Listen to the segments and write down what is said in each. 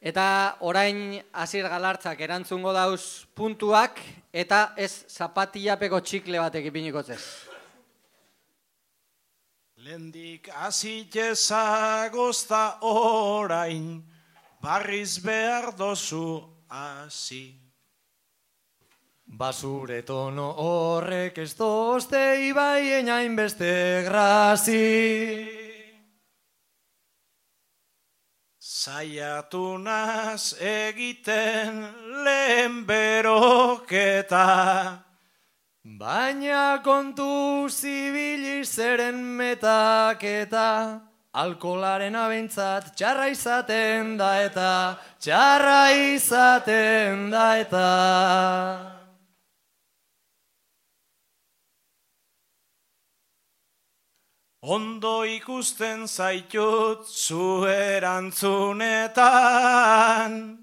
Eta orain Asier Galartzak erantzungo dauz puntuak eta ez zapatillapeko txikle batek ipiniko zez. Lendik azitezagozta orain, barriz behar dozu hasi. Basure tono horrek ez dozte ibaien hainbeste grazi. Saiatu naz egiten lehen beroketa, baina kontu zibili zeren metaketa, alkolaren abentzat txarra izaten da eta, txarra izaten da eta. Ondo ikusten zaitut zu erantzunetan,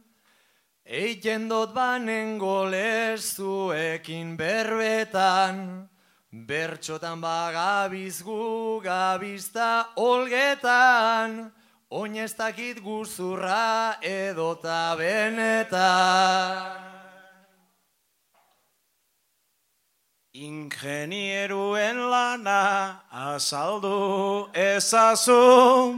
eiten dot banen golez zuekin berbetan, bertxotan bagabiz gu gabizta olgetan, oinez dakit guzurra edota benetan. Ingenieruen lana azaldu ezazu,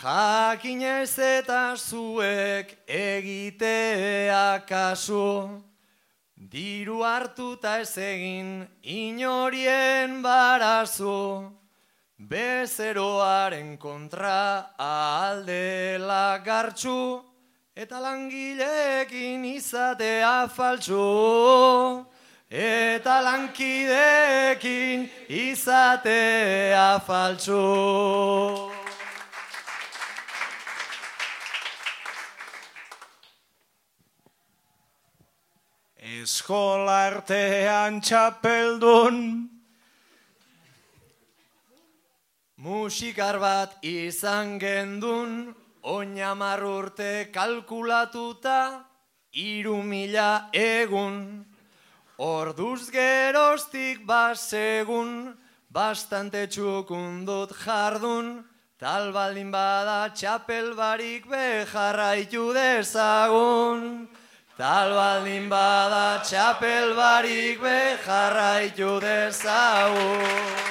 jakinez eta zuek egitea kasu, diru hartuta ez egin inorien barazu, bezeroaren kontra aldela gartxu, eta langileekin izatea faltsu, eta lankideekin izatea faltsu. Eskola artean txapeldun, musikar bat izan gendun, oinamar urte kalkulatuta, 3.000 egun. Orduz geroztik basegun, bastante txukundut jardun, tal baldin bada txapel barik bejarraitu dezagun. Tal baldin bada txapel barik bejarraitu dezagun.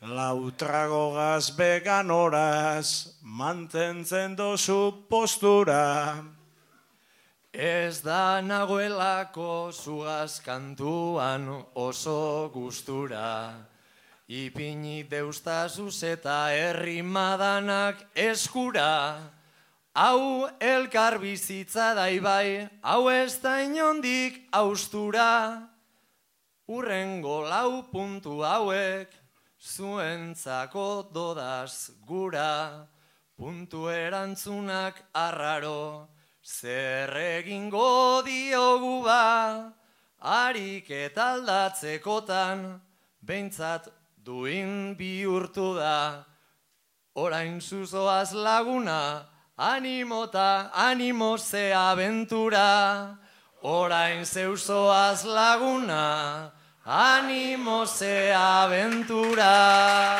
Lautrago gazbegan horaz, mantentzen dozu postura. Ez da nagoelako zugaz kantuan oso gustura. Ipini deustazuz eta herrimadanak eskura. Hau elkar bizitza daibai, hau ez da inondik austura. Urrengo 4 puntu hauek, zuentzako dodaz gura, puntu erantzunak arraro, zer egingo diogu ba, harik eta aldatzekotan, behintzat duin bihurtu da. Orain zuzoaz laguna, animota, animo ze abentura. Orain zeuzoaz laguna, ánimo se aventura.